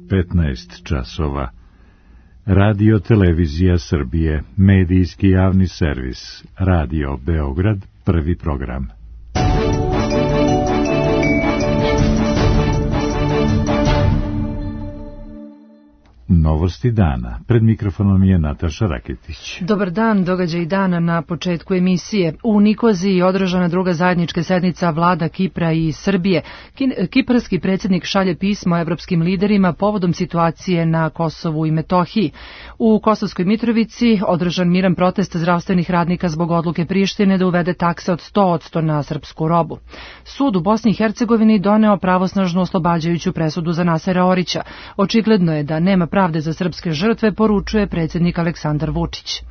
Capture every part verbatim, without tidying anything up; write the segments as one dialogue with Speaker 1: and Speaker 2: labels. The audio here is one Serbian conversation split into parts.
Speaker 1: petnaest časova. Radio Televizija Srbije, medijski javni servis, Radio Beograd, prvi program. Novosti dana. Pred mikrofonom je Nataša Raketić.
Speaker 2: Dobar dan, događaj dana na početku emisije. U Nikoziji je održana druga zajednička sednica vlada Kipra i Srbije. Kiparski predsjednik šalje pismo evropskim liderima povodom situacije na Kosovu i Metohiji. U Kosovskoj Mitrovici održan miran protest zdravstvenih radnika zbog odluke Prištine da uvede takse od sto posto na srpsku robu. Sud u Bosni i Hercegovini doneo pravosnažnu oslobađajuću presudu za Nasera Orića. Očigledno je da nema pravde za srpske žrtve, poručuje predsjednik Aleksandar Vučić.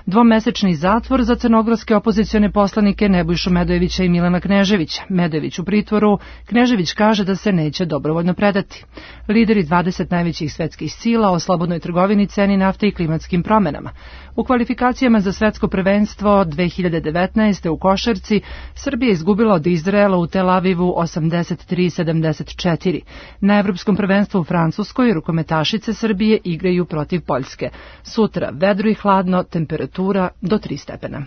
Speaker 2: Dvomesečni zatvor za crnogorske opozicione poslanike Nebojšu Medojevića i Milana Kneževića. Medojević u pritvoru, Knežević kaže da se neće dobrovoljno predati. Lideri dvadeset najvećih svetskih sila o slobodnoj trgovini, ceni nafte i klimatskim promenama. U kvalifikacijama za svetsko prvenstvo dve hiljade devetnaeste. u košarci Srbija izgubila od Izraela u Tel Avivu osamdeset tri sedamdeset četiri. Na evropskom prvenstvu u Francuskoj rukometašice Srbije igraju protiv Poljske. Sutra vedro i hladno, temperatura do tri stepena.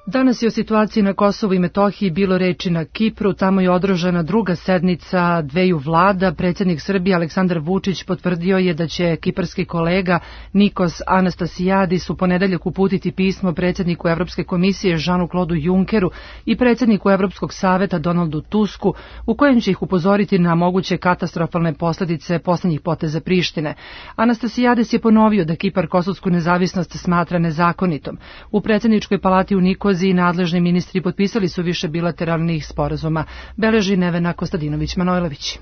Speaker 2: Danas je o situaciji na Kosovu i Metohiji bilo reči na Kipru. Tamo je održana druga sednica dveju vlada. Predsjednik Srbije Aleksandar Vučić potvrdio je da će kiparski kolega Nikos Anastasijadis u ponedeljak uputiti pismo predsjedniku Evropske komisije Žanu Klodu Junkeru i predsjedniku Evropskog saveta Donaldu Tusku, u kojem će ih upozoriti na moguće katastrofalne posljedice posljednjih poteza Prištine. Anastasijadis je ponovio da Kipar kosovsku nezavisnost smatra nezakonitom. U predsjedničkoj palati u Nikoziji i nadležni ministri potpisali su više bilateralnih sporazuma, beleži Nevena Kostadinović-Manojlović.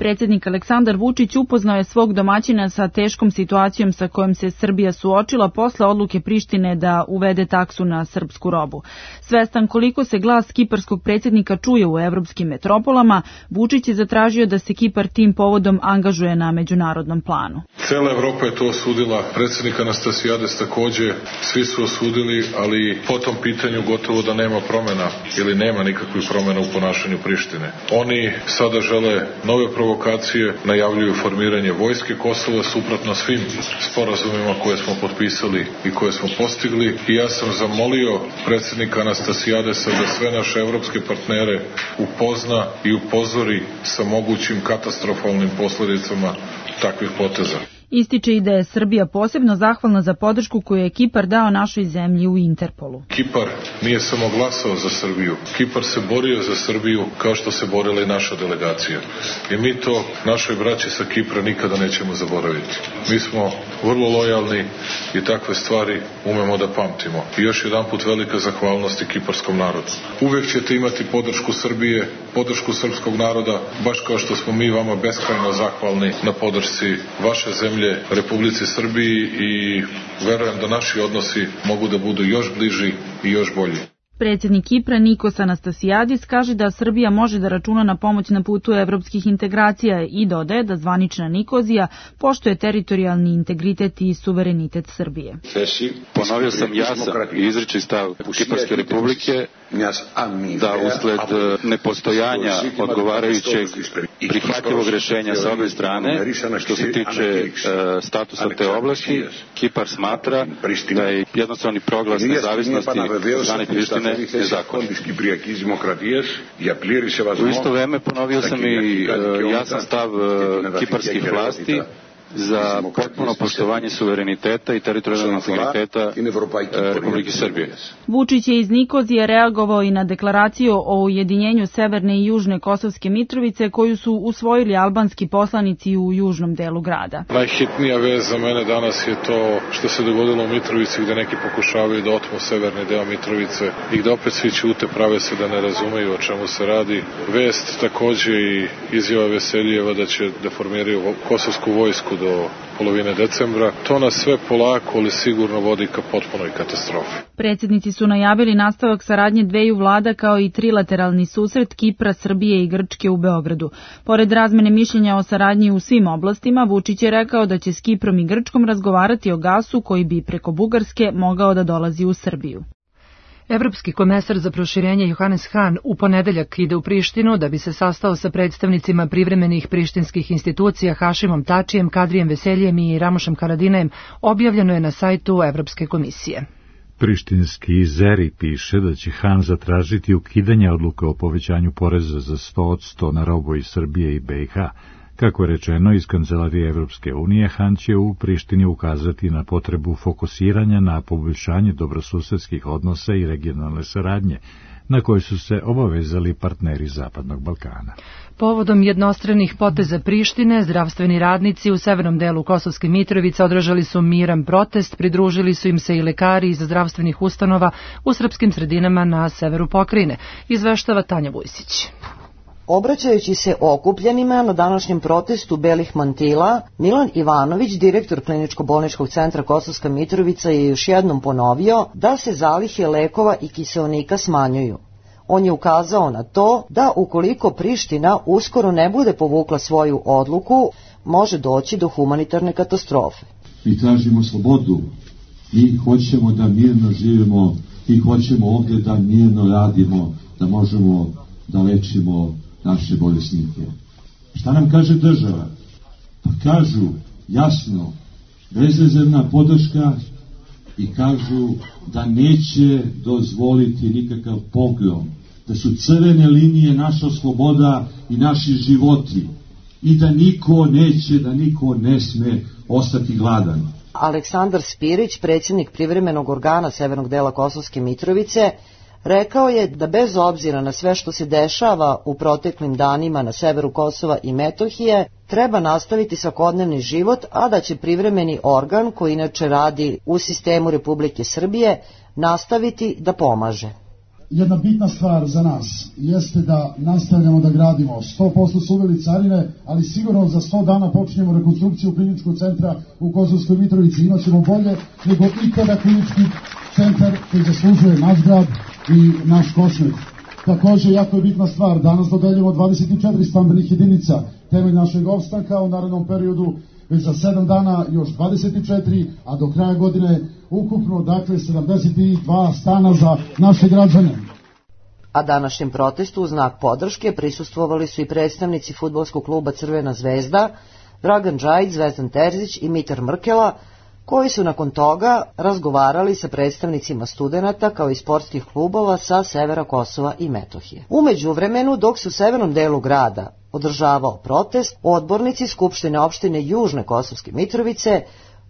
Speaker 3: Predsjednik Aleksandar Vučić upoznao je svog domaćina sa teškom situacijom sa kojom se Srbija suočila posle odluke Prištine da uvede taksu na srpsku robu. Svestan koliko se glas kiparskog predsjednika čuje u evropskim metropolama, Vučić je zatražio da se Kipar tim povodom angažuje na međunarodnom planu.
Speaker 4: Cela Evropa je to osudila, predsjednik Anastasijades također, svi su osudili, ali po tom pitanju gotovo da nema promjena ili nema nikakvih promjena u ponašanju Prištine. Oni sada žele nove provokacije, provokacije, najavljuju formiranje vojske Kosova suprotno svim sporazumima koje smo potpisali i koje smo postigli. I ja sam zamolio predsjednika Anastasijadesa da sve naše evropske partnere upozna i upozori sa mogućim katastrofalnim posljedicama takvih poteza.
Speaker 3: Ističe i da je Srbija posebno zahvalna za podršku koju je Kipar dao našoj zemlji u Interpolu.
Speaker 4: Kipar nije samo glasao za Srbiju. Kipar se borio za Srbiju kao što se borila i naša delegacija. I mi to našoj braći sa Kipra nikada nećemo zaboraviti. Mi smo vrlo lojalni i takve stvari umemo da pamtimo. I još jedan put velika zahvalnost i kiparskom narodu. Uvijek ćete imati podršku Srbije, podršku srpskog naroda, baš kao što smo mi vama beskrajno zahvalni na podršci vaše zemlje, Republici Srbiji, i verujem da naši odnosi mogu da budu još bliži i još bolji.
Speaker 3: Predsjednik Kipra Nikos Anastasijadis kaže da Srbija može da računa na pomoć na putu evropskih integracija i dodaje da zvanična Nikozija poštuje teritorijalni integritet i suverenitet Srbije.
Speaker 5: Ponovio sam jasan i izričit stav Kiparske republike da usled nepostojanja odgovarajućeg prihvatljivog rješenja sa obje strane, što se tiče uh, statusa te oblasti, Kipar smatra da je jednostavni proglas nezavisnosti strane Prištine nezakonit. U isto vrijeme ponovio sam i uh, jasan stav uh, kiparskih vlasti za potpuno poštovanje suvereniteta i teritorijalnog integriteta Republike Srbije.
Speaker 3: Vučić je iz Nikozije reagovao i na deklaraciju o ujedinjenju Severne i Južne Kosovske Mitrovice koju su usvojili albanski poslanici u južnom delu grada.
Speaker 4: Najhitnija vez za mene danas je to što se dogodilo u Mitrovici, gde neki pokušavaju da otmu severni deo Mitrovice i gde opet svi ćute, prave se da ne razumeju o čemu se radi. Vest također i izjava Veselijeva da će da formiraju kosovsku vojsku do polovine decembra. To nas sve polako, ali sigurno vodi ka potpunoj katastrofi.
Speaker 3: Predsjednici su najavili nastavak saradnje dveju vlada kao i trilateralni susret Kipra, Srbije i Grčke u Beogradu. Pored razmene mišljenja o saradnji u svim oblastima, Vučić je rekao da će s Kiprom i Grčkom razgovarati o gasu koji bi preko Bugarske mogao da dolazi u Srbiju.
Speaker 2: Evropski komesar za proširenje Johannes Hahn u ponedeljak ide u Prištinu da bi se sastao sa predstavnicima privremenih prištinskih institucija Hašimom Tačijem, Kadrijem Veseljem i Ramošem Haradinajem, objavljeno je na sajtu Evropske komisije.
Speaker 1: Prištinski Zeri piše da će Han zatražiti ukidanje odluke o povećanju poreza za sto posto na robu iz Srbije i be i ha. Kako je rečeno iz Kancelarije Evropske unije, Han će u Prištini ukazati na potrebu fokusiranja na poboljšanje dobrosusedskih odnosa i regionalne saradnje, na koji su se obavezali partneri Zapadnog Balkana.
Speaker 2: Povodom jednostranih poteza Prištine, zdravstveni radnici u severnom delu Kosovske Mitrovice održali su miran protest, pridružili su im se i lekari iz zdravstvenih ustanova u srpskim sredinama na severu pokrajine, izveštava Tanja Vujsić.
Speaker 6: Obraćajući se okupljenima na današnjem protestu belih mantila, Milan Ivanović, direktor Kliničko-bolničkog centra Kosovska Mitrovica, je još jednom ponovio da se zalihe lekova i kiseonika smanjuju. On je ukazao na to da ukoliko Priština uskoro ne bude povukla svoju odluku, može doći do humanitarne katastrofe.
Speaker 7: Mi tražimo slobodu, mi hoćemo da mirno živimo, mi hoćemo ovdje da mirno radimo, da možemo da lečimo naše bolesnike. Šta nam kaže država? Pa kažu jasno, bezrezervna podrška i kažu da neće dozvoliti nikakav pogrom, da su crvene linije naša sloboda i naši životi i da niko neće, da niko ne sme ostati gladan.
Speaker 6: Aleksandar Spirić, predsjednik privremenog organa severnog dela Kosovske Mitrovice, rekao je da bez obzira na sve što se dešava u proteklim danima na severu Kosova i Metohije, treba nastaviti svakodnevni život, a da će privremeni organ, koji inače radi u sistemu Republike Srbije, nastaviti da pomaže.
Speaker 8: Jedna bitna stvar za nas jeste da nastavljamo da gradimo. sto posto su uveli carine, ali sigurno za sto dana počinjemo rekonstrukciju kliničkog centra u Kosovskoj Mitrovici. Imaćemo bolje nego ikada klinički centar koji zaslužuje naš grad i naš Kosmet. Također, jako je bitna stvar, danas dodeljujemo dvadeset četiri stambenih jedinica, temelj našeg opstanka u narednom periodu, već za sedam dana još dvadeset četiri, a do kraja godine ukupno, dakle, sedamdeset dva stana za naše građane.
Speaker 6: A današnjem protestu u znak podrške prisustvovali su i predstavnici fudbalskog kluba Crvena zvezda, Dragan Džajić, Zvezdan Terzić i Mitar Mrkela, koji su nakon toga razgovarali sa predstavnicima studenata kao i sportskih klubova sa severa Kosova i Metohije. U međuvremenu, dok su u severnom delu grada održavao protest, odbornici Skupštine opštine Južne Kosovske Mitrovice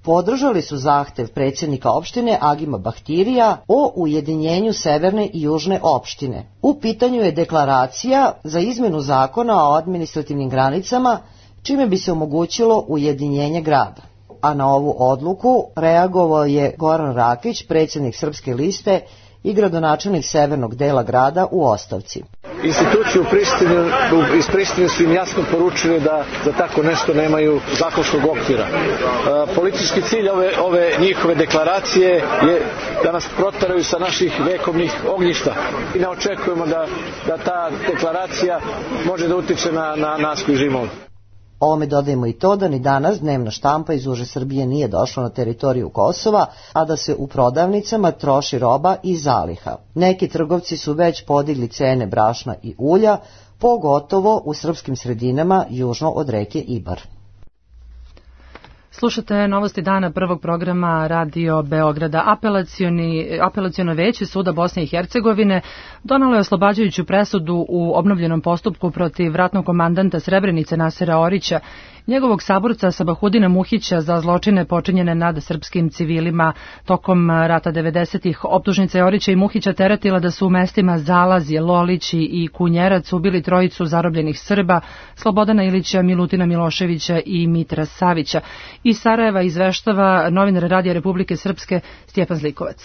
Speaker 6: podržali su zahtev predsjednika opštine Agima Bahtirija o ujedinjenju severne i južne opštine. U pitanju je deklaracija za izmenu zakona o administrativnim granicama, čime bi se omogućilo ujedinjenje grada. A na ovu odluku reagovao je Goran Rakić, predsjednik Srpske liste i gradonačelnik severnog dela grada u ostavci.
Speaker 9: Institucije u Prištini, iz Prištine su im jasno poručili da za tako nešto nemaju zakonskog okvira. E, politički cilj ove, ove njihove deklaracije je da nas proteraju sa naših vekovnih ognjišta. I ne očekujemo da, da ta deklaracija može da utiče na, na nas koji živimo ovdje.
Speaker 6: Ovome dodajemo i to da ni danas dnevna štampa iz uže Srbije nije došla na teritoriju Kosova, a da se u prodavnicama troši roba i zaliha. Neki trgovci su već podigli cene brašna i ulja, pogotovo u srpskim sredinama južno od reke Ibar.
Speaker 2: Slušate novosti dana prvog programa Radio Beograda. Apelacioni, apelaciono veće suda Bosne i Hercegovine donalo je oslobađajuću presudu u obnovljenom postupku protiv ratnog komandanta Srebrenice Nasera Orića, njegovog saborca Sabahudina Muhića za zločine počinjene nad srpskim civilima tokom rata devedesetih. Optužnica je Orića i Muhića teretila da su u mestima Zalazje, Lolići i Kunjerac ubili trojicu zarobljenih Srba, Slobodana Ilića, Milutina Miloševića i Mitra Savića. Iz Sarajeva izveštava novinar Radija Republike Srpske Stjepan Zlikovac.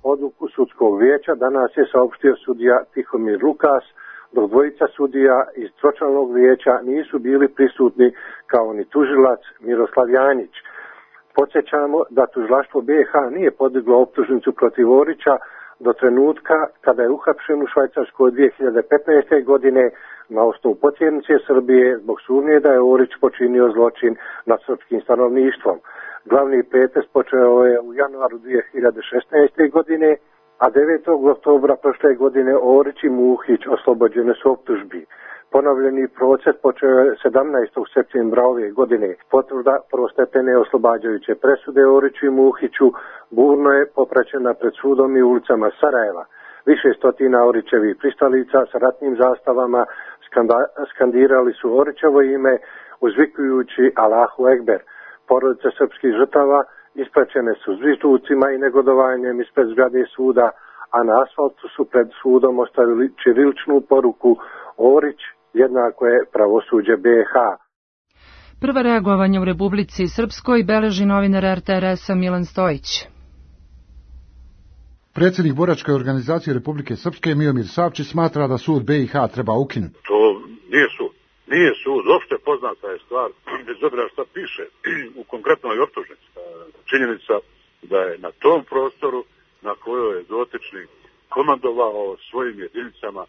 Speaker 10: Odluku sudskog vijeća danas je saopštio sudija Tihomir Lukas, dok dvojica sudija iz tročlanog vijeća nisu bili prisutni kao ni tužilac Miroslav Janjić. Podsjećamo da tužilaštvo be i ha nije podiglo optužnicu protiv Orića do trenutka kada je uhapšen u Švajcarskoj dvije hiljade petnaeste. godine na osnovu potjernice Srbije zbog sumnje da je Orić počinio zločin nad srpskim stanovništvom. Glavni pretres počeo je u januaru dvije hiljade šesnaeste. godine, a a devetog oktobra prošle godine Orić i Muhić oslobođene su optužbi. Ponovljeni proces počeo je sedamnaestog septembra ove godine. Potvrda prvostepene oslobađajuće presude Oriću i Muhiću burno je popraćena pred sudom i ulicama Sarajeva. Više stotina Orićevih pristalica sa ratnim zastavama skandirali su Orićevo ime uzvikujući Allahu Ekber. Porodice srpskih žrtava ispraćene su zvižducima i negodovanjem ispred zgrade suda, a na asfaltu su pred sudom ostavili ćiriličnu poruku Orić jednako je pravosuđe B iH.
Speaker 2: Prva reagovanja u Republici Srpskoj beleži novinar R T R S-a Milan Stojić.
Speaker 11: Predsjednik boračke organizacije Republike Srpske Miomir Savčić smatra da sud B iH treba ukinuti.
Speaker 12: To nije sud. Nije sud. Opšte poznata je stvar, bez obzira šta piše u konkretnoj optužnici. Činjenica da je na tom prostoru na kojoj je dotični komandovao svojim jedinicama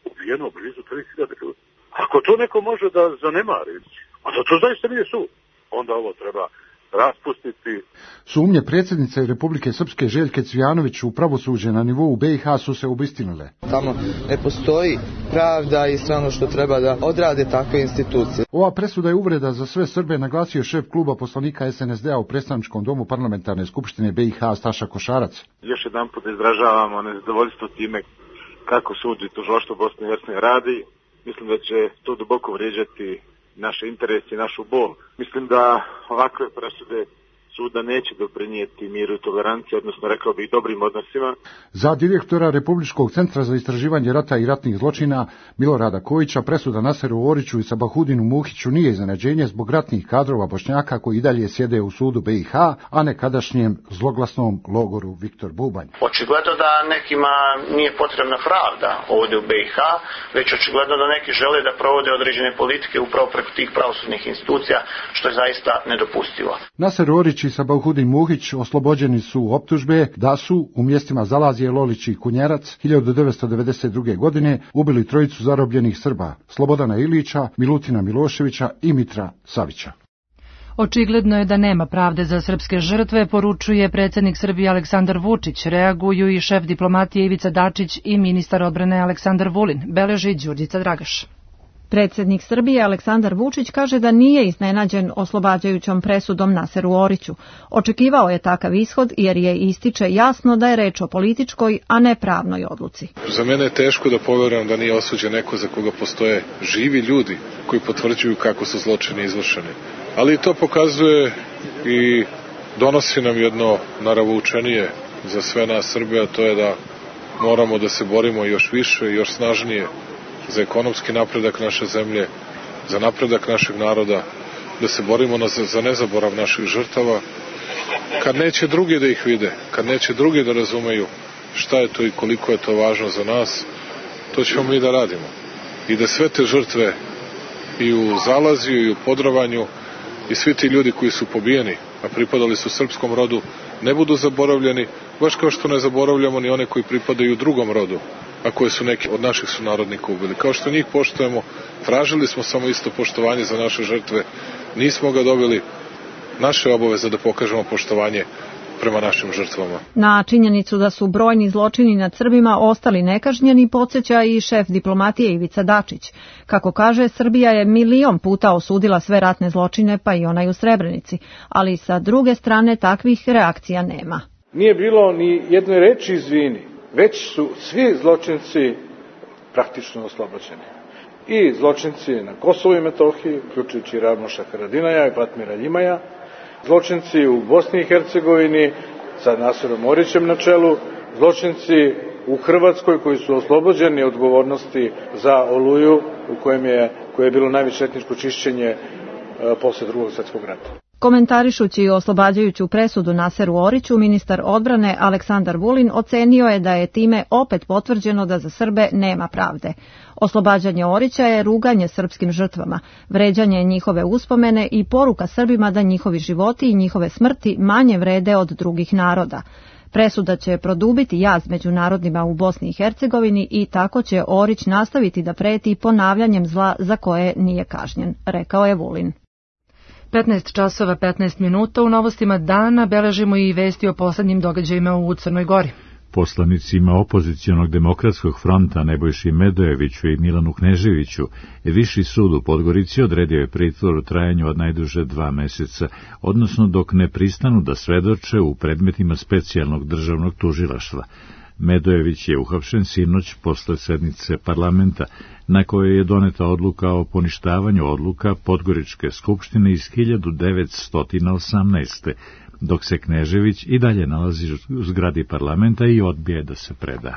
Speaker 12: ubijeno blizu tri hiljade ljudi. Ako to neko može da zanemari, a da to zaista nije sud, onda ovo treba raspustiti.
Speaker 11: Sumnje predsjednice Republike Srpske Željke Cvijanović u pravosuđe na nivou B iH su se obistinile.
Speaker 13: Tamo ne postoji pravda i sve ono što treba da odrade takve institucije.
Speaker 11: Ova presuda je uvreda za sve Srbe, naglasio šef kluba poslanika S N S D-a u predstavničkom domu parlamentarne skupštine B iH Staša Košarac.
Speaker 14: Još jedan put izražavamo nezadovoljstvo time kako sud i tužilaštvo Bosne i Hercegovine radi. Mislim da će to duboko vrijeđati naše interese i našu bol. Mislim da ovakve presude suda neće doprinijeti miru i toleranciji, odnosno rekao bih dobrim odnosima.
Speaker 11: Za direktora Republičkog centra za istraživanje rata i ratnih zločina Milorada Kojića presuda Naseru Oriću i Sabahudinu Muhiću nije iznenađenje zbog ratnih kadrova Bošnjaka koji i dalje sjede u sudu B iH, a nekadašnjem zloglasnom logoru Viktor Bubanj.
Speaker 15: Očigledno da nekima nije potrebna pravda ovdje u B iH, već očigledno da neki žele da provode određene politike upravo preko tih pravosudnih institucija, što je zaista nedopustivo.
Speaker 11: Naser Orić i Sabahudin Muhić oslobođeni su optužbe da su u mjestima Zalazije, Lolić i Kunjerac hiljadu devetsto devedeset druge. godine ubili trojicu zarobljenih Srba, Slobodana Ilića, Milutina Miloševića i Mitra Savića.
Speaker 2: Očigledno je da nema pravde za srpske žrtve, poručuje predsjednik Srbije Aleksandar Vučić. Reaguju i šef diplomatije Ivica Dačić i ministar odbrane Aleksandar Vulin, beleži Đurđica Dragaš.
Speaker 3: Predsjednik Srbije Aleksandar Vučić kaže da nije iznenađen oslobađajućom presudom Naseru Oriću. Očekivao je takav ishod jer je ističe jasno da je reč o političkoj, a ne pravnoj odluci.
Speaker 4: Za mene je teško da poverujem da nije osuđen neko za koga postoje živi ljudi koji potvrđuju kako su zločini izvršeni. Ali to pokazuje i donosi nam jedno naravoučenije za sve nas Srbe, a to je da moramo da se borimo još više i još snažnije za ekonomski napredak naše zemlje, za napredak našeg naroda, da se borimo za nezaborav naših žrtava, kad neće drugi da ih vide, kad neće drugi da razumeju šta je to i koliko je to važno za nas, to ćemo mi da radimo. I da sve te žrtve i u Zalaziju i u Podrovanju i svi ti ljudi koji su pobijeni, a pripadali su srpskom rodu, ne budu zaboravljeni, baš kao što ne zaboravljamo ni one koji pripadaju drugom rodu, a koje su neki od naših sunarodnika ubili. Kao što njih poštujemo, tražili smo samo isto poštovanje za naše žrtve, nismo ga dobili, naše obaveze da pokažemo poštovanje prema našim žrtvama.
Speaker 3: Na činjenicu da su brojni zločini nad Srbima ostali nekažnjeni podsjeća i šef diplomatije Ivica Dačić. Kako kaže, Srbija je milion puta osudila sve ratne zločine, pa i onaj u Srebrenici, ali sa druge strane takvih reakcija nema.
Speaker 16: Nije bilo ni jedne reči izvini, već su svi zločinci praktično oslobođeni. I zločinci na Kosovu i Metohiji, uključujući Ramoša Haradinaja i Fatmira Ljimaja, zločinci u Bosni i Hercegovini sa Naserom Orićem na čelu, zločinci u Hrvatskoj koji su oslobođeni odgovornosti za Oluju u kojem je, koje je bilo najveće etničko čišćenje e, posle drugog svjetskog rata.
Speaker 3: Komentarišući oslobađajuću presudu Naseru Oriću, ministar odbrane Aleksandar Vulin ocenio je da je time opet potvrđeno da za Srbe nema pravde. Oslobađanje Orića je ruganje srpskim žrtvama, vređanje njihove uspomene i poruka Srbima da njihovi životi i njihove smrti manje vrede od drugih naroda. Presuda će produbiti jaz među narodima u Bosni i Hercegovini i tako će Orić nastaviti da preti ponavljanjem zla za koje nije kažnjen, rekao je Vulin.
Speaker 2: petnaest časova petnaest minuta u novostima dana beležimo i vesti o poslednjim događajima u Crnoj Gori.
Speaker 1: Poslanicima opozicionog demokratskog fronta Nebojši Medojeviću i Milanu Kneževiću Viši sud u Podgorici odredio je pritvor u trajanju od najduže dva meseca, odnosno dok ne pristanu da svedoče u predmetima specijalnog državnog tužilaštva. Medojević je uhapšen sinoć posle sednice parlamenta, na kojoj je doneta odluka o poništavanju odluka Podgoričke skupštine iz hiljadu devetsto osamnaeste. dok se Knežević i dalje nalazi u zgradi parlamenta i odbije da se preda.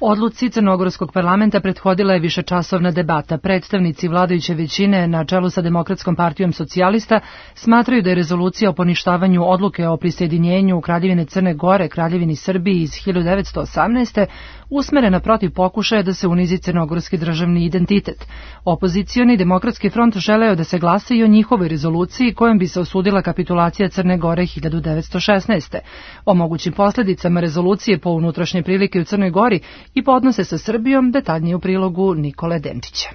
Speaker 2: Odluci Crnogorskog parlamenta prethodila je višečasovna debata. Predstavnici vladajuće većine na čelu sa Demokratskom partijom socijalista smatraju da je rezolucija o poništavanju odluke o prisjedinjenju Kraljevine Crne Gore Kraljevini Srbiji iz hiljadu devetsto osamnaeste. usmerena protiv pokušaja da se unizi crnogorski državni identitet. Opozicioni Demokratski front želeo da se glasa i o njihovoj rezoluciji kojom bi se osudila kapitulacija Crne Gore hiljadu devetsto šesnaeste. O mogućim posljedicama rezolucije po unutrašnje prilike u Crnoj Gori i po odnose sa Srbijom detaljnije u prilogu Nikole Denčića.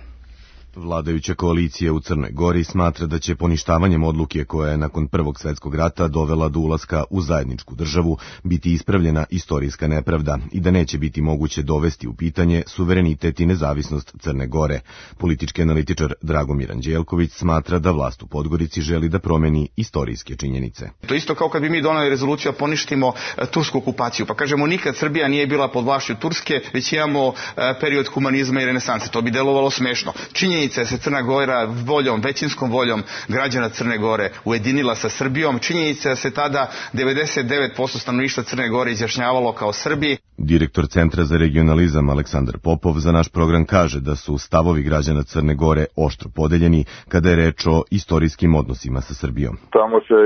Speaker 17: Vladajuća koalicija u Crnoj Gori smatra da će poništavanjem odluke koja je nakon Prvog svjetskog rata dovela do ulaska u zajedničku državu biti ispravljena istorijska nepravda i da neće biti moguće dovesti u pitanje suverenitet i nezavisnost Crne Gore. Politički analitičar Dragomir Anđelković smatra da vlast u Podgorici želi da promeni istorijske činjenice.
Speaker 18: To isto kao kad bi mi doneli rezoluciju da poništimo tursku okupaciju, pa kažemo nikad Srbija nije bila pod vlašću Turske, već imamo period humanizma i renesanse. To bi delovalo smešno. Činjenica se Crna Gora voljom, većinskom voljom građana Crne Gore ujedinila sa Srbijom. Činjenica se tada devedeset devet posto stanovništva Crne Gore izjašnjavalo kao Srbi.
Speaker 17: Direktor Centra za regionalizam Aleksandar Popov za naš program kaže da su stavovi građana Crne Gore oštro podeljeni kada je reč o istorijskim odnosima sa Srbijom.
Speaker 19: Tamo se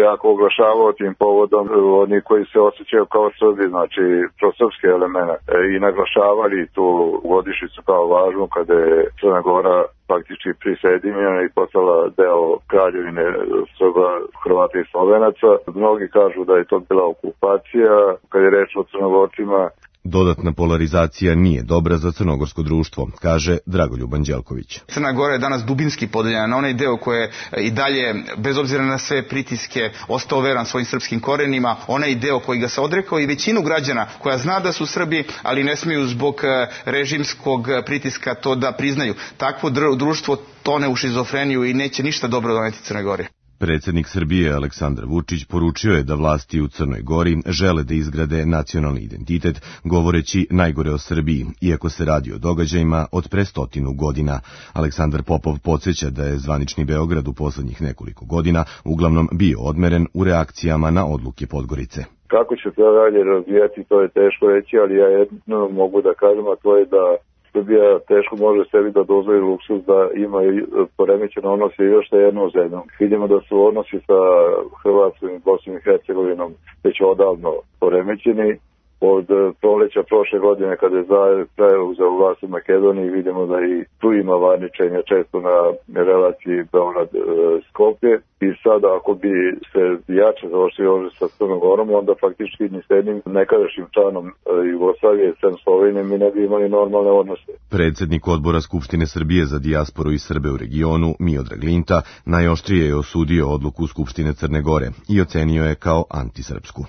Speaker 19: jako oglašavao tim povodom oni koji se osjećaju kao Srbi, znači prosrpske elemente, i naglašavali tu godišnjicu kao važnu kada je Crna Gora faktički prisjedinjena i postala deo kraljevine Srba, Hrvata i Slovenaca. Mnogi kažu da je to bila okupacija, kad je reč o Crnogorcima.
Speaker 17: Dodatna polarizacija nije dobra za crnogorsko društvo, kaže Dragoljub Anđelković.
Speaker 18: Crna Gora je danas dubinski podeljena na onaj deo koje i dalje, bez obzira na sve pritiske, ostao veran svojim srpskim korenima, onaj deo koji ga se odrekao i većinu građana koja zna da su Srbi, ali ne smiju zbog režimskog pritiska to da priznaju. Takvo društvo tone u šizofreniju i neće ništa dobro doneti Crne Gore.
Speaker 17: Predsjednik Srbije Aleksandar Vučić poručio je da vlasti u Crnoj Gori žele da izgrade nacionalni identitet, govoreći najgore o Srbiji, iako se radi o događajima od pre stotinu godina. Aleksandar Popov podsjeća da je zvanični Beograd u poslednjih nekoliko godina uglavnom bio odmeren u reakcijama na odluke Podgorice.
Speaker 19: Kako će to dalje razvijati, to je teško reći, ali ja jedno mogu da kažem, a to je da Srbija teško može sebi da dozvoli luksuz da ima poremećene odnose još sa jednom zemljom. Vidimo da su odnosi sa Hrvatskom i Bosnom i Hercegovinom već odavno poremećeni. Od proleća prošle godine kada je preuzeo vlast u Makedoniji vidimo da i tu ima varničenja često na relaciji Beograd-Skopje i sada ako bi se jače zaoštrio odnos sa Crnom Gorom, onda faktički ni s jednim nekadašnjim članom Jugoslavije, sem Slovenije, mi ne bi imali normalne odnose.
Speaker 17: Predsjednik odbora Skupštine Srbije za dijasporu i Srbe u regionu, Miodrag Linta, najoštrije je osudio odluku Skupštine Crne Gore i ocenio je kao antisrpsku.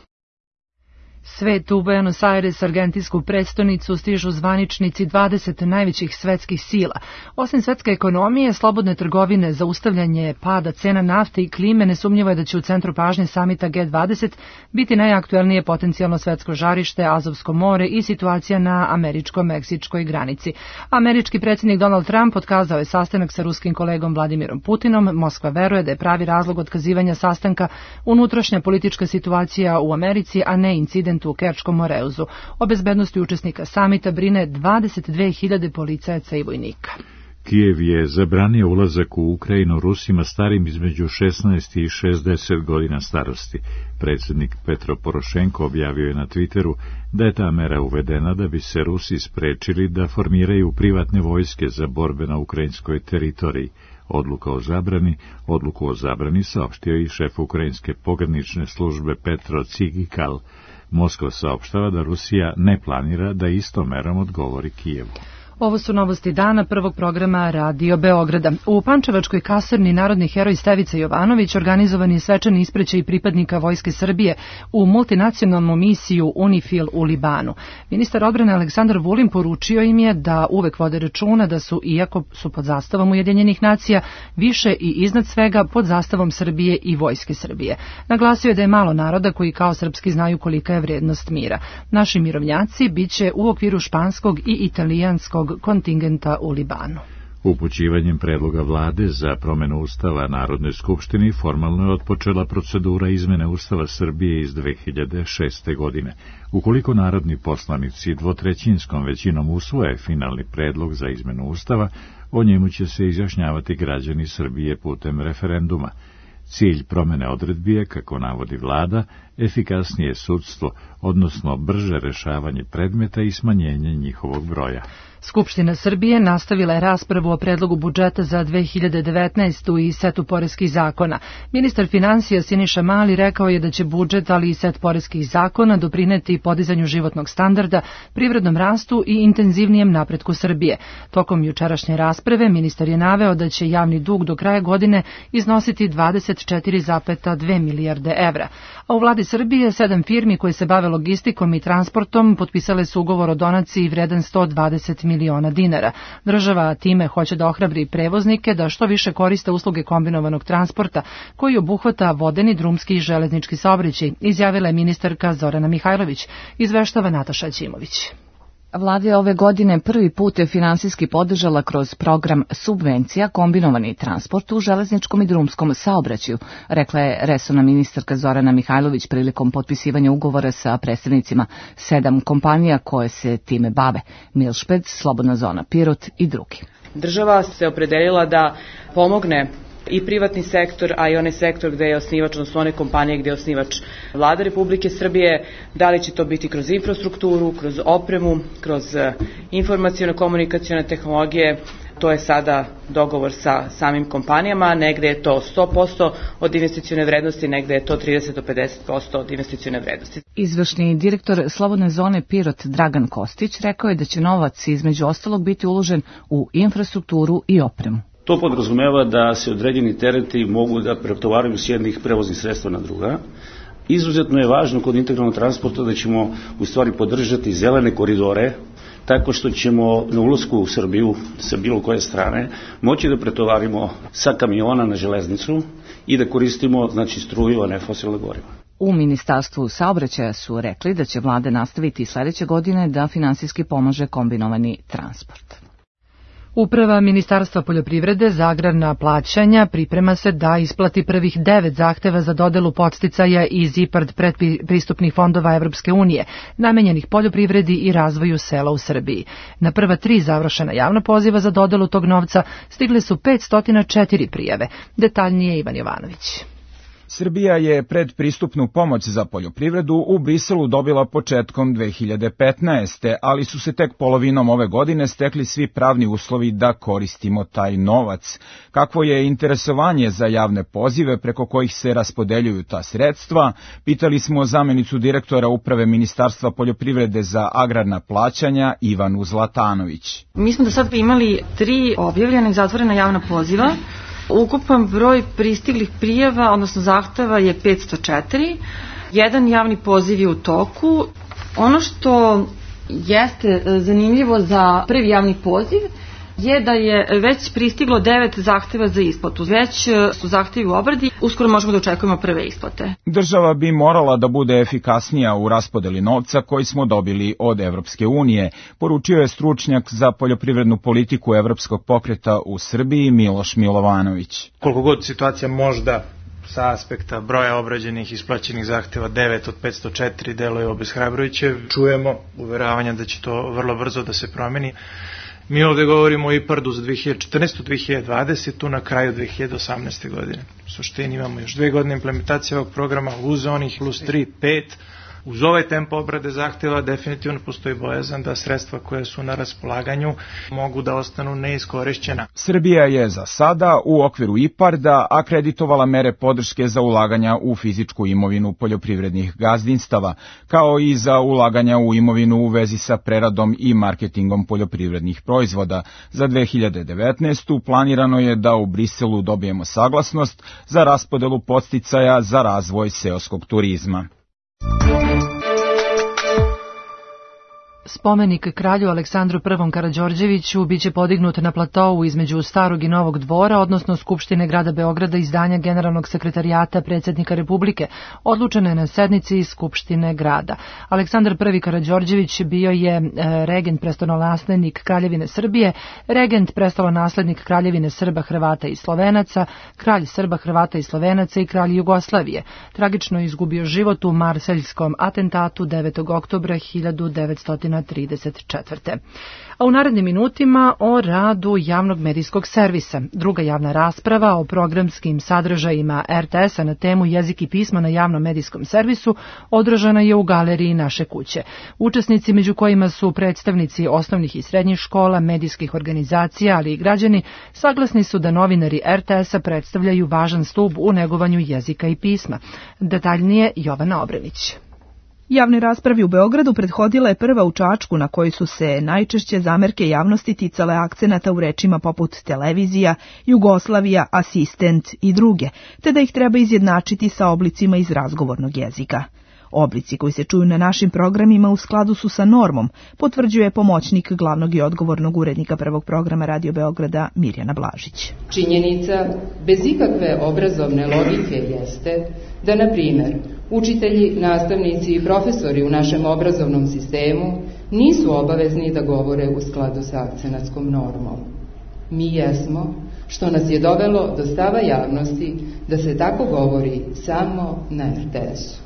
Speaker 2: Svet u Buenos Aires, argentinsku prestonicu, stižu zvaničnici dvadeset najvećih svetskih sila. Osim svetske ekonomije, slobodne trgovine, zaustavljanje pada cena nafte i klime, nesumnjivo je da će u centru pažnje samita G dvadeset biti najaktuelnije potencijalno svetsko žarište, Azovsko more i situacija na američko-meksičkoj granici. Američki predsjednik Donald Trump otkazao je sastanak sa ruskim kolegom Vladimirom Putinom. Moskva veruje da je pravi razlog otkazivanja sastanka unutrašnja politička situacija u Americi, a ne incident u Kerčkom Moreuzu. O bezbednosti učesnika samita brine dvadeset dve hiljade policajaca i vojnika.
Speaker 1: Kijev je zabranio ulazak u Ukrajinu Rusima starim između šesnaest i šezdeset godina starosti. Predsjednik Petro Porošenko objavio je na Twitteru da je ta mera uvedena da bi se Rusi sprečili da formiraju privatne vojske za borbe na ukrajinskoj teritoriji. Odluka o zabrani, odluku o zabrani saopštio i šef ukrajinske pogranične službe Petro Cigikal. Moskva saopštava da Rusija ne planira da istom merom odgovori Kijevu.
Speaker 2: Ovo su novosti dana prvog programa Radio Beograda. U Pančevačkoj kasarni narodni heroj Stevica Jovanović organizovan je svečani ispraćaj pripadnika Vojske Srbije u multinacionalnu misiju UNIFIL u Libanu. Ministar odbrane Aleksandar Vulin poručio im je da uvek vode računa da su, iako su pod zastavom Ujedinjenih nacija, više i iznad svega pod zastavom Srbije i Vojske Srbije. Naglasio je da je malo naroda koji kao srpski znaju kolika je vrednost mira. Naši mirovnjaci biće u okviru španskog i italijanskog kontingenta u Libanu.
Speaker 1: Upućivanjem predloga vlade za promenu Ustava Narodnoj skupštini formalno je otpočela procedura izmene Ustava Srbije iz dve hiljade šeste. godine. Ukoliko narodni poslanici dvotrećinskom većinom usvoje finalni predlog za izmenu Ustava, o njemu će se izjašnjavati građani Srbije putem referenduma. Cilj promene odredbi je, kako navodi vlada, efikasnije sudstvo, odnosno brže rešavanje predmeta i smanjenje njihovog broja.
Speaker 2: Skupština Srbije nastavila je raspravu o predlogu budžeta za dve hiljade devetnaestu. i setu poreskih zakona. Ministar finansija Siniša Mali rekao je da će budžet, ali i set poreskih zakona doprineti podizanju životnog standarda, privrednom rastu i intenzivnijem napretku Srbije. Tokom jučerašnje rasprave ministar je naveo da će javni dug do kraja godine iznositi dvadeset četiri zarez dve milijarde evra. A u vladi Srbije sedam firmi koje se bave logistikom i transportom potpisale su ugovor o donaciji vredan sto dvadeset miliona dinara. Država time hoće da ohrabri prevoznike da što više koriste usluge kombinovanog transporta, koji obuhvata vodeni, drumski i železnički saobraćaj, izjavila je ministarka Zorana Mihajlović, izveštava Nataša Ćimović.
Speaker 20: Vlada je ove godine prvi put finansijski podržala kroz program subvencija kombinovani transport u železničkom i drumskom saobraćaju, rekla je resorna ministarka Zorana Mihajlović prilikom potpisivanja ugovora sa predstavnicima sedam kompanija koje se time bave: Milšped, Slobodna zona Pirot i drugi.
Speaker 21: Država se opredelila da pomogne i privatni sektor, a i onaj sektor gde je osnivač, odnosno one kompanije gde je osnivač Vlada Republike Srbije, da li će to biti kroz infrastrukturu, kroz opremu, kroz informacijono-komunikacione tehnologije. To je sada dogovor sa samim kompanijama, negde je to sto posto od investicione vrednosti, negde je to trideset do pedeset posto od investicione vrednosti.
Speaker 20: Izvršni direktor Slobodne zone Pirot Dragan Kostić rekao je da će novac između ostalog biti uložen u infrastrukturu i opremu.
Speaker 22: To podrazumeva da se određeni tereti mogu da pretovaraju s jednih prevoznih sredstva na druga. Izuzetno je važno kod integralnog transporta da ćemo u stvari podržati zelene koridore, tako što ćemo na ulasku u Srbiju sa bilo koje strane moći da pretovarimo sa kamiona na železnicu i da koristimo, znači, struju, a ne fosilna goriva.
Speaker 20: U Ministarstvu saobraćaja su rekli da će vlada nastaviti sledeće godine da finansijski pomaže kombinovani transport.
Speaker 2: Uprava Ministarstva poljoprivrede za agrarna plaćanja priprema se da isplati prvih devet zahteva za dodelu podsticaja iz IPARD predpristupnih fondova Evropske unije, namenjenih poljoprivredi i razvoju sela u Srbiji. Na prva tri završena javna poziva za dodelu tog novca stigle su petsto četiri prijave. Detaljnije Ivan Jovanović.
Speaker 23: Srbija je predpristupnu pomoć za poljoprivredu u Briselu dobila početkom dve hiljade petnaeste. ali su se tek polovinom ove godine stekli svi pravni uslovi da koristimo taj novac. Kakvo je interesovanje za javne pozive preko kojih se raspodeljuju ta sredstva, pitali smo zamenicu direktora Uprave Ministarstva poljoprivrede za agrarna plaćanja Ivanu Zlatanović.
Speaker 24: Mi smo do sad imali tri objavljena i zatvorena javna poziva. Ukupan broj pristiglih prijava, odnosno zahteva, je petsto četiri. Jedan javni poziv je u toku. Ono što jeste zanimljivo za prvi javni poziv je da je već pristiglo devet zahteva za isplatu. Već su zahtevi u obradi, uskoro možemo da očekujemo prve isplate.
Speaker 23: Država bi morala da bude efikasnija u raspodeli novca koji smo dobili od Evropske unije, poručio je stručnjak za poljoprivrednu politiku Evropskog pokreta u Srbiji Miloš Milovanović.
Speaker 25: Koliko god situacija možda sa aspekta broja obrađenih i isplaćenih zahteva devet od petsto četiri deluje obeshrabrujuće, čujemo uveravanja da će to vrlo brzo da se promeni. Mi ovde govorimo o IPARD-u za dve hiljade četrnaestu. dve hiljade dvadesetu. na kraju dve hiljade osamnaeste. godine. U suštini imamo još dve godine implementacije ovog programa uz onih plus tri, pet, Uz ovaj tempo obrade zahteva definitivno postoji bojazan da sredstva koje su na raspolaganju mogu da ostanu neiskorišćena.
Speaker 23: Srbija je za sada u okviru IPARD-a akreditovala mere podrške za ulaganja u fizičku imovinu poljoprivrednih gazdinstava, kao i za ulaganja u imovinu u vezi sa preradom i marketingom poljoprivrednih proizvoda. Za dve hiljade devetnaestu. planirano je da u Briselu dobijemo saglasnost za raspodelu podsticaja za razvoj seoskog turizma.
Speaker 2: Spomenik kralju Aleksandru Prvom Karađorđeviću biće podignut na platovu između Starog i Novog dvora, odnosno Skupštine grada Beograda i zdanja Generalnog sekretarijata predsjednika Republike, odlučene na sednici Skupštine grada. Aleksandar Prvi Karađorđević bio je regent prestolonaslednik Kraljevine Srbije, regent prestolonaslednik Kraljevine Srba, Hrvata i Slovenaca, kralj Srba, Hrvata i Slovenaca i kralj Jugoslavije. Tragično je izgubio život u marseljskom atentatu devetog oktobra hiljadu devetsto trideset četvrte. A u narednim minutima o radu javnog medijskog servisa. Druga javna rasprava o programskim sadržajima R T S-a na temu jezik i pismo na javnom medijskom servisu održana je u galeriji Naše kuće. Učesnici, među kojima su predstavnici osnovnih i srednjih škola, medijskih organizacija, ali i građani, saglasni su da novinari R T S-a predstavljaju važan stub u negovanju jezika i pisma. Detaljnije Jovana Obrenić.
Speaker 5: Javnoj raspravi u Beogradu prethodila je prva u Čačku, na kojoj su se najčešće zamerke javnosti ticale akcenata u rečima poput televizija, Jugoslavija, asistent i druge, te da ih treba izjednačiti sa oblicima iz razgovornog jezika. Oblici koji se čuju na našim programima u skladu su sa normom, potvrđuje pomoćnik glavnog i odgovornog urednika prvog programa Radio Beograda Mirjana Blažić.
Speaker 6: Činjenica bez ikakve obrazovne logike jeste da, na primjer, učitelji, nastavnici i profesori u našem obrazovnom sistemu nisu obavezni da govore u skladu sa akcenatskom normom. Mi jesmo, što nas je dovelo do stava javnosti da se tako govori samo na R T S-u.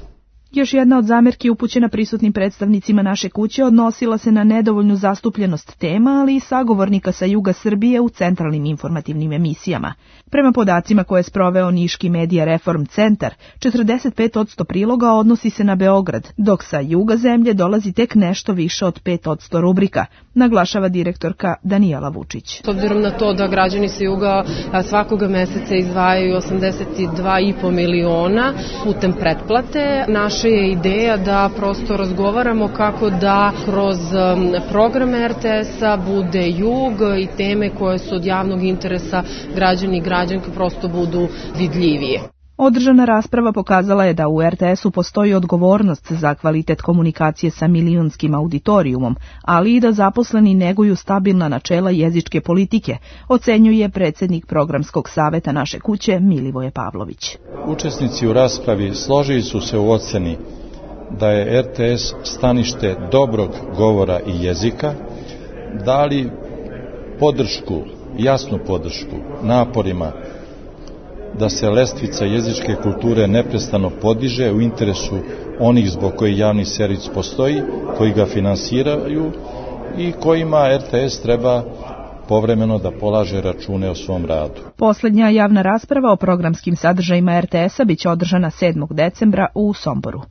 Speaker 5: Još jedna od zamerki upućena prisutnim predstavnicima Naše kuće odnosila se na nedovoljnu zastupljenost tema, ali i sagovornika sa juga Srbije u centralnim informativnim emisijama. Prema podacima koje je sproveo Niški Medija Reform Centar, četrdeset pet posto priloga odnosi se na Beograd, dok sa juga zemlje dolazi tek nešto više od pet posto rubrika, naglašava direktorka Danijela Vučić.
Speaker 7: S obzirom na to da građani sa juga svakoga meseca izdvajaju osamdeset dva i po miliona putem pretplate, naša je ideja da prosto razgovaramo kako da kroz program R T S-a bude jug i teme koje su od javnog interesa građani i građanke prosto budu vidljivije.
Speaker 5: Održana rasprava pokazala je da u R T S-u postoji odgovornost za kvalitet komunikacije sa milionskim auditorijumom, ali i da zaposleni neguju stabilna načela jezičke politike, ocenjuje predsjednik programskog saveta Naše kuće Milivoje Pavlović.
Speaker 8: Učesnici u raspravi složili su se u oceni da je R T S stanište dobrog govora i jezika, dali podršku, jasnu podršku naporima da se lestvica jezičke kulture neprestano podiže u interesu onih zbog koji javni servis postoji, koji ga finansiraju i kojima R T S treba povremeno da polaže račune o svom radu.
Speaker 5: Posljednja javna rasprava o programskim sadržajima R T S-a biće održana sedmog decembra u Somboru.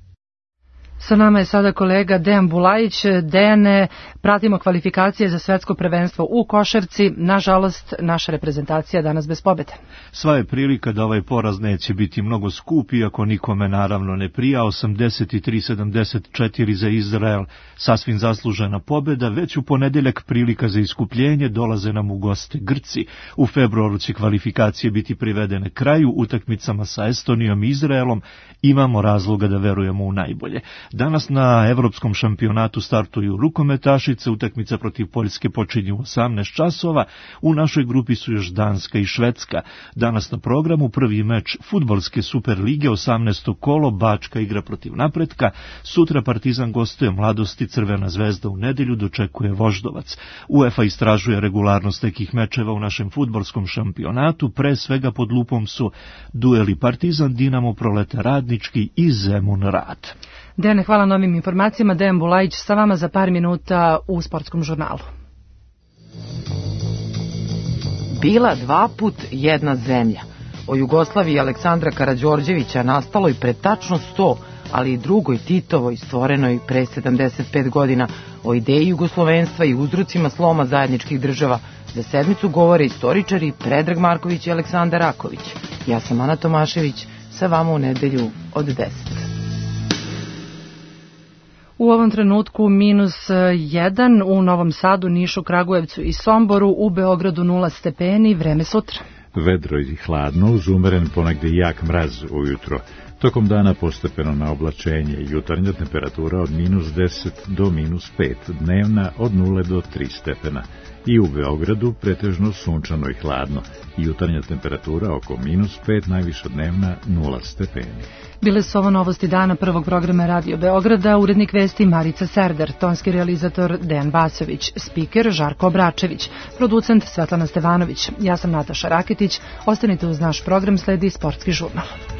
Speaker 2: Sa nama je sada kolega Dejan Bulajić. Dejane, pratimo kvalifikacije za svetsko prvenstvo u košarci. Nažalost, naša reprezentacija danas bez pobjede.
Speaker 9: Sva je prilika da ovaj poraz neće biti mnogo skup, iako nikome naravno ne prija. osamdeset tri sedamdeset četiri za Izrael, sasvim zaslužena pobjeda. Već u ponedeljak prilika za iskupljenje, dolaze nam u goste Grci. U februaru će kvalifikacije biti privedene kraju utakmicama sa Estonijom i Izraelom. Imamo razloga da verujemo u najbolje. Danas na evropskom šampionatu startuju rukometašice, utakmica protiv Poljske počinje u osamnaest časova, u našoj grupi su još Danska i Švedska. Danas na programu prvi meč fudbalske Super lige, osamnaesto kolo, Bačka igra protiv Napretka, sutra Partizan gostuje Mladosti, Crvena zvezda u nedelju dočekuje Voždovac. UEFA istražuje regularnost nekih mečeva u našem fudbalskom šampionatu, pre svega pod lupom su dueli Partizan, Dinamo, Prolete Radnički i Zemun Rad.
Speaker 2: Dejane, hvala na ovim informacijama. Dejan Bulajić sa vama za par minuta u Sportskom žurnalu.
Speaker 26: Bila dva put jedna zemlja. O Jugoslaviji Aleksandra Karađorđevića nastaloj pred tačno sto, ali i drugoj Titovoj stvorenoj pre sedamdeset pet godina, o ideji jugoslovenstva i uzrocima sloma zajedničkih država. Za sedmicu govore istoričari Predrag Marković i Aleksandar Raković. Ja sam Ana Tomašević, sa vama u nedelju od deset.
Speaker 2: U ovom trenutku minus jedan u Novom Sadu, Nišu, Kragujevcu i Somboru, u Beogradu nula stepeni, vreme sutra.
Speaker 1: Vedro i hladno, uz umeren ponegde jak mraz ujutro. Tokom dana postepeno na oblačenje, jutarnja temperatura od minus deset do minus pet, dnevna od nula do tri stepena. I u Beogradu pretežno sunčano i hladno, jutarnja temperatura oko minus pet, najviša dnevna nula stepeni.
Speaker 2: Bile su ovo novosti dana prvog programa Radio Beograda, urednik vesti Marica Serdar, tonski realizator Dejan Vasović, spiker Žarko Obračević, producent Svetlana Stevanović. Ja sam Nataša Raketić, ostanite uz naš program, sledi Sportski žurnal.